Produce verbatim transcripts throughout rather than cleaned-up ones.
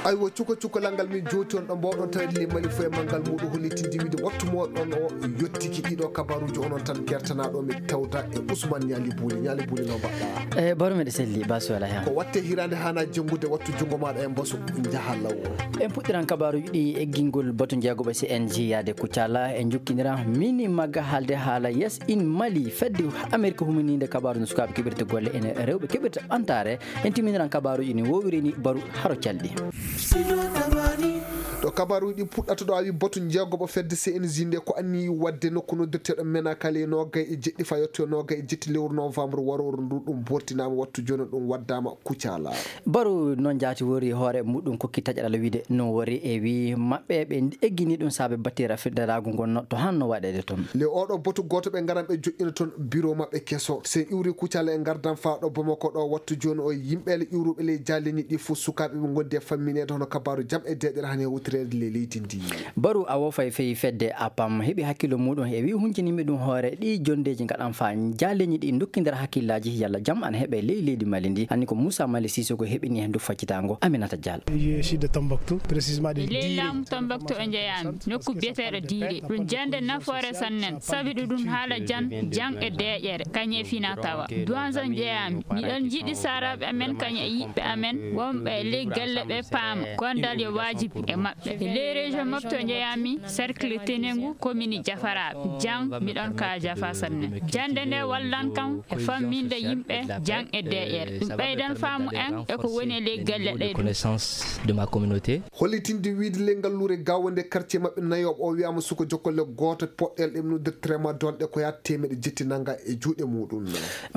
Aywa, cuka cukalal ngal min jooti on ɗo mbawɗon tawede le Mali foye manngal muɗum hollitinde wiide wattu moɗon o yottiki ɗiɗo kabaruji onon tan kertanaɗo mi tawda e Ousmane Ñaali Buuli. Ñaali Buuli, no mbaɗɗa? E baro meɗe selli basu wala hen. Ko watte hirande hana janngude, wattu junngo maɗa e mbasu, njaha law. En puɗɗiran kabaruji ɗi eggingol batu jeegoɓe C N J yaade Kucala. En jokkindiran mini magga haalde haala Yes in Mali, fedde Amerika humininde kabaru no sukaaɓe keɓirta golle ene rewɓe keɓirta ɓantare. En timminiran kabaruji ni wowiri ni baru haro calɗi. Ɗo kabaruji ɗi puɗɗata ɗo, a wi batu jeegoɓo fedde C N J nde ko anniyi wadde nokku noddirteɗo Menakali e nogay e jeɗɗi fa yetto e nogay e jetti lewru novembre warooru ndu, ɗum bortinama wattu joni ɗum waddama Kucala. Baru noon jaati wori hoore muɗum kokki taƴaɗal wiide no wori e wi maɓɓe ɓe eggini ɗum saabe battira fiddaraagu ngon to hanno waɗeede toon. Le oɗo batu gooto ɓe ngaran ɓe joƴƴina toon biro maɓɓe keso. Sen iwri Kucala e ngardan faa ɗo Bamako ɗo wattu jooni o yimɓe le iwruɓe ley jaaleni ɗi fof sukaaɓe ɓe ngondi e fammineede hono kabaaru jam e deeƴere hani e wutireede le leydi ndi. Baru a wofay fey fedde apam heɓi hakkillo muɗum e wi huncinimi ɗum hoore ɗi jondeeji ngaɗan faa jaaleni ɗi dokkindira hakkillaaji yalla jam ana heɓe ley leydi Mali ndi. Anni ko Moussa Mali Sissoko heɓini heen ndu faccitango. Aminata Diallo. Je suis de Tombouctou, précisément de Ley Diri. Laamu Tombouctou o njeyaami, nokku biyeteeɗo Diiri. Ɗum jannde nafoore sannen, sabi ɗum ɗum haala jan, jang e deeƴere, kañum e fina tawa. Duwanza njeyaami, miɗon jiɗi saaraaɓe amen kañum e yiɓɓe amen, wonɓe e ley galle ɓe paama, gondal yo waajibi e maɓɓe. E ley région Mopti o njeyaami, cercle Tenengu, commune Jafaraaɓe. Jang, miɗon ka Jafa sannen. Jannde nde wallan kam e famminde yimɓe jang e deeƴere. Ɗum ɓeydan faamu en e ko woni e ley galle ɗe ɗum. Connaissance de ma communauté. Hollitinde wiide le ngalluure Gaawo nde quartier maɓɓe nayoɓo o wiyama suko jokkole gooto poɗɗel ɗe noddirta tramadol ɗe ko yaata teemeɗe jetti nanga e juuɗe muɗum.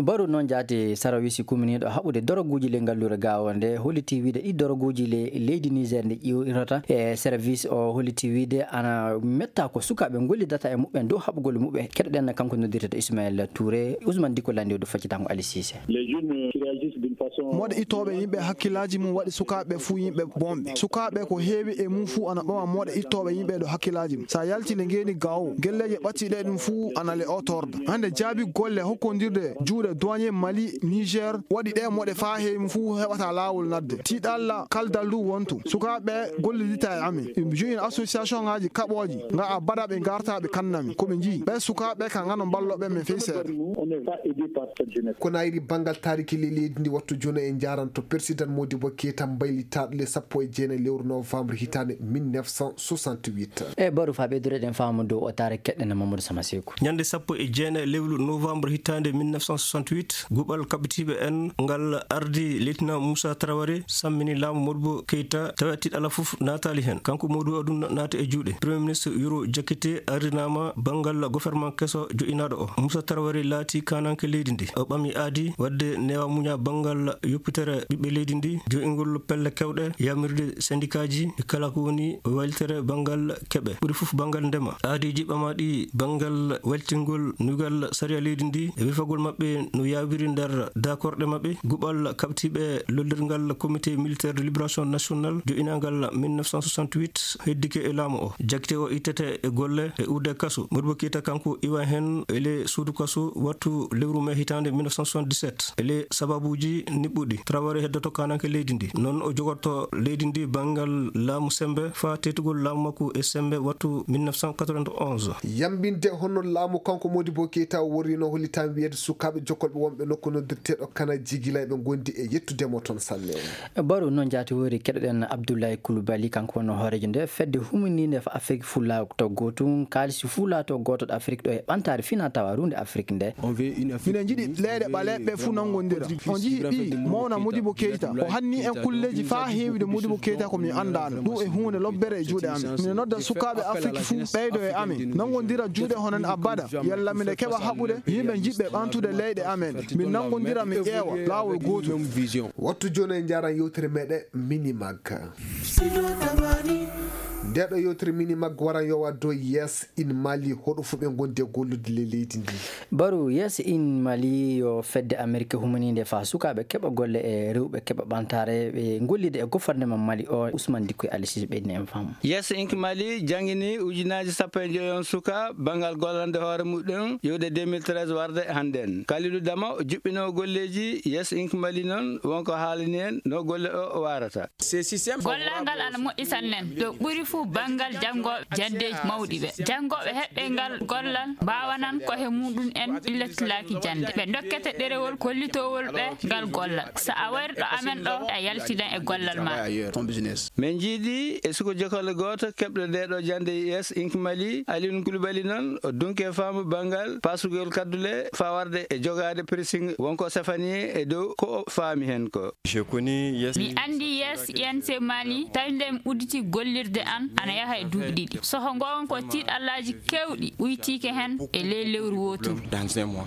Baru noon jaati sarawisi kuminiiɗo haɓude doroguuji le ngalluure Gaawo nde holliti wiide ɗi doroguuji le leydi Niger nde ƴiwirata e service o holliti wiide ana metta ko sukaaɓe ngollidata e muɓɓen dow haɓugol muɓɓe. Keɗoɗen kanko noddirteɗo Ismaël Touré, Ousmane Diko Landi o ɗo faccitango Ali Cissé. Les jeunes qui réagissent d'une façon Moɗe ittooɓe yimɓe hakkillaaji mum waɗi sukaaɓe fuu yimɓe bonɓe. Sukaaɓe ko heewi e mum fuu ana ɓama moɗe ittooɓe yimɓe ɗo hakkillaaji mum. Sa yalti le ngeeni Gaawo, gelleeje ɓattiɗe ɗum fuu ana le otorda. Hannde jaabi golle hokkondirde juuɗe douanier Mali, Niger, waɗi ɗe moɗe faa heewi mum fuu heɓata laawol nadde. Tiiɗalla kaldal ndu wontu. Sukaaɓe gollidita e amen. Ɓe joini association ngaaji kaɓooji. Nga a baɗa ɓe ngarta ɓe kannami. Ko ɓe njii. Ɓe sukaaɓe ka ngano mballo ɓe men fey seeɗa. On n'est pas aidé par cette jeunesse. Konayri banngal taariki le leydi ndi wattu jooni en njaaranto président Modibo Keita mbaylitaaɗo le sappo e jeenayi lewru novembre hitaande mille neuf cent soixante-huit. E baru faa ɓeydureɗen faamu dow o taare keɗɗen Mamadou Sama Seeku. Ñande sappo e jeenayi lewru novembre hitaande mille neuf cent soixante-huit, guɓal kaɓitiiɓe en ngal ardi Lieutenant Moussa Traoré sammini laamu Modibo Keita tawa tiiɗalla fof naataali heen. Kanko Modibo ɗum naati e juuɗe. Premier ministre Yoro Diakité ardinaama banngal gouvernement keso joƴinaaɗo o. Moussa Traoré laati kaananke leydi ndi. O ɓami aadi waɗde newa muña banngal yoppitere ɓiɓɓe leydi ndi, jo'ingol pelle kewɗe, yamirde sendikaaji e kala ko woni waylitere banngal keɓe, ɓuri fof banngal ndema. Aadiiji ɓamaaɗi banngal weltingol nugal sariya leydi ndi e wefagol maɓɓe no yawiri nder dakorɗe maɓɓe. Guɓal kaɓtiiɓe lollirgal Comité Militaire de Libération Nationale jo'inaangal mille neuf cent soixante-huit heddike e laamu o. Jagte o ittete e golle e uurde kaso. Modibo Keita kanko iwa heen e le suudu kaso wattu lewru mai hitaande mille neuf cent soixante-dix-sept. E le sababuuji niɓɓuɗi, Traoré heddoto kaananke leydi ndi. Noon o jogorto leydi ndi banngal laamu sembe faa teetugol laamu makko e sembe wattu mille neuf cent quatre-vingt-onze. Yambinde hono laamu kanko Modibo Keita o worrino hollitaama wiyeede sukaaɓe jokkolɓe wonɓe nokku noddirteeɗo Kana Jigila ɓe ngondi e yettude mo toon sanne. Baru noon jaati wori keɗoɗen Abdoulaye Coulibaly, kanko wonno hooreejo nde fedde humininde fa Afrik Fulla to gootum, kaalisi Fulla to gooto Afrik ɗo e ɓantaare fina tawa runde Afrik nde. Miɗen njiɗi leyɗe ɓaleeɓe ɓe fuu nanngondira. On njii ɓii mawna Modibo Keita. O hanni en kulleeji faa heewude Modibo Keita ko min anndaano. Ɗum e huunde lobbere e juuɗe amen. Miɗen nodda sukaaɓe Afrik fuu ɓeydo e amen. Nanngondira juuɗe hono en abada. Yalla miɗen keɓa haɓude yimɓe jiɗɓe ɓamtude leyɗe amen. Min nanngondira, min ƴeewa laawol gootol. Wattu jooni en njaaran yewtere meɗen Minimag. Nde ɗo yewtere mini maggo waran yowa dow Yes in Mali, hoɗo fuu ɓe ngondi e gollude le leydi ndi. Baru, Yes in Mali yo fedde Amerik humaninde faa sukaaɓe keɓa golle e rewɓe keɓa ɓantaare ɓe gollida e gouvernement Mali o. Ousmane Dikko e Ali Sise ɓeydi en faamu. Yes Inc Mali janngini ujunaaji sappo e joy on suka banngal gollande hoore muɗum iwde deux mille treize warde hannden. Kalidou Dama o juɓɓinoo golleeji Yes Inc Mali noon wonko haalani en no golle o waarata. Gollal ngal ana moƴƴi sanne. Ɗo ɓuri fuu banngal janngooɓe janndeeji mawɗi ɓe. Janngooɓe heɓɓe ngal gollal mbaawanan ko he muɗum en illatlaaki jannde. Ɓe ndokkete ɗerewol kollitoowol ɓe ngal gollal. So a wari ɗo amen ɗo, a yaltidan e gollal ma. Min njiidi e suko jokolle gooto keɓɗo nde ɗo jannde Yes Inc Mali, Alioune Koulibaly noon o dunke faamu banngal pasugol kaddule faa warde e jogaade pressing wonko sefani e dow ko o faami heen ko. Mi anndi Yes Inc Mali, tawi nde mi udditi gollirde an, ana yaha e duuɓi ɗiɗi. So ko ngoonga ko tiiɗallaaji keewɗi ɓuytiike heen e ley lewru wooturu.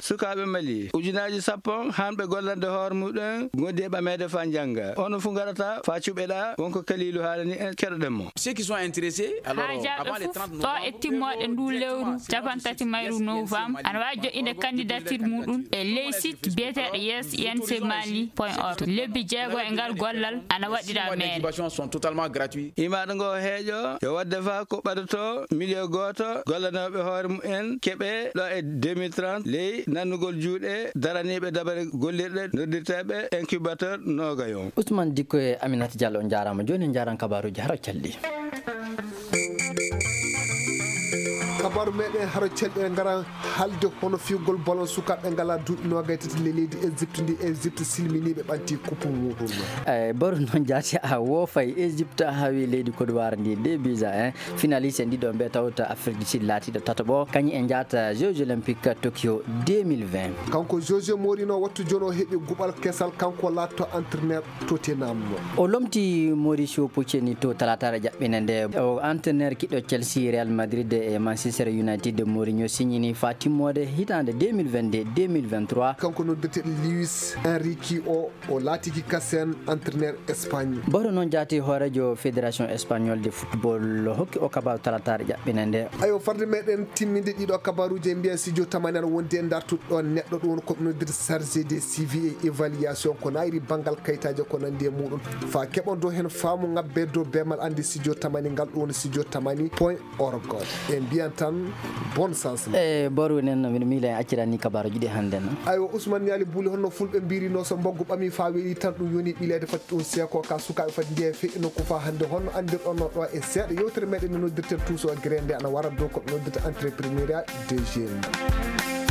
Sukaaɓe Mali, ujunaaji sappo hanɓe gollande hoore muɗum ngondi e ɓameede faa njannga. Ono fuu ngarata faa cuɓeɗa wonko Kaliilu haalani en keɗoɗen mo. Haajaaɓe fof ɗo e timmooɗe ndu lewru capantati mayru novembre ana waawi joƴƴinde candidature muɗum e ley site biyeteeɗo Yes Inc Mali point org. Lebbi jeego e ngal gollal ana waɗira meere. Imaaɗo ngo heeƴo yo waɗde faa ko ɓadoto miliyo gooto gollanooɓe hoore mumen keɓe ɗo e deux mille trente ley nannugol juuɗe daraniiɓe dabare gollirɗe noddirteeɓe incubateur noogayo. Ousmane Dikko e Aminata Diallo, on njaaraama. Jooni en njaaran kabaaruuji hara calɗi. Kabaaru meɗen hara calɗi en ngara haalde hono fiyugol ballon sukaaɓe ngalaa duuɓi noogay tati ley leydi Égypte ndi. Égypte silminii ɓe ɓanti coupe muɗum. Eyi, Baru, noon jaati a woofay. Égypte hawi leydi Côte d'Ivoire ndi deux buts à un. Finaliste en ɗiɗo ɓe tawta Afrique du Sud laatiiɗo tataɓo, kañum en njaata Jeux Olympiques Tokyo deux mille vingt. Kanko José Mourinho wattu jooni o heɓi guɓal kesal, kanko laatto entraîneur Tottenham. O lomti Mauricio Pochettino talaataare jaɓɓine nde. O entraîneur kiɗɗo Chelsea, Real Madrid e Manchester United, Mourinho signini faa timmoode hitaande deux mille vingt-deux deux mille vingt-trois. Kanko noddirteeɗo Luis Enrique o, o laatiki kasen entraîneur Espagne. Baru, noon jaati hooreejo Fédération Espagnole de Football hokki o kabaaru talaataare jaɓɓine nde. Ayo, farde meɗen timminde ɗiɗo kabaaruuji e mbiya studio tamani ana wondi e dartuɗo neɗɗo ɗum woni ko ɓe noddirta chargé de suivi et évaluation ko naayri banngal kayitaaji ko nanndi e muɗum. Faa keɓon dow heen faamu ŋabbe dow beemal anndi studio tamani ngal ɗum woni studio tamani point org. E mbiyan tan bonne chance. E Baru, enen no mbiɗa miila en accirani kabaaruuji ɗi hannde no. Aywa, Ousmane Niali Buuli, honno fulɓe mbirino so mbaggu ɓami faa weeli tan ɗum yoni ɓileede fati ɗum seeko ka sukaaɓe fati njiya e feƴƴi nokku faa hannde honno anndirɗon no ɗo e seeɗa yewtere meɗen no noddirten tuuso gere nde ana wara dow ko ɓe noddirta entrepreneuriat des jeunes.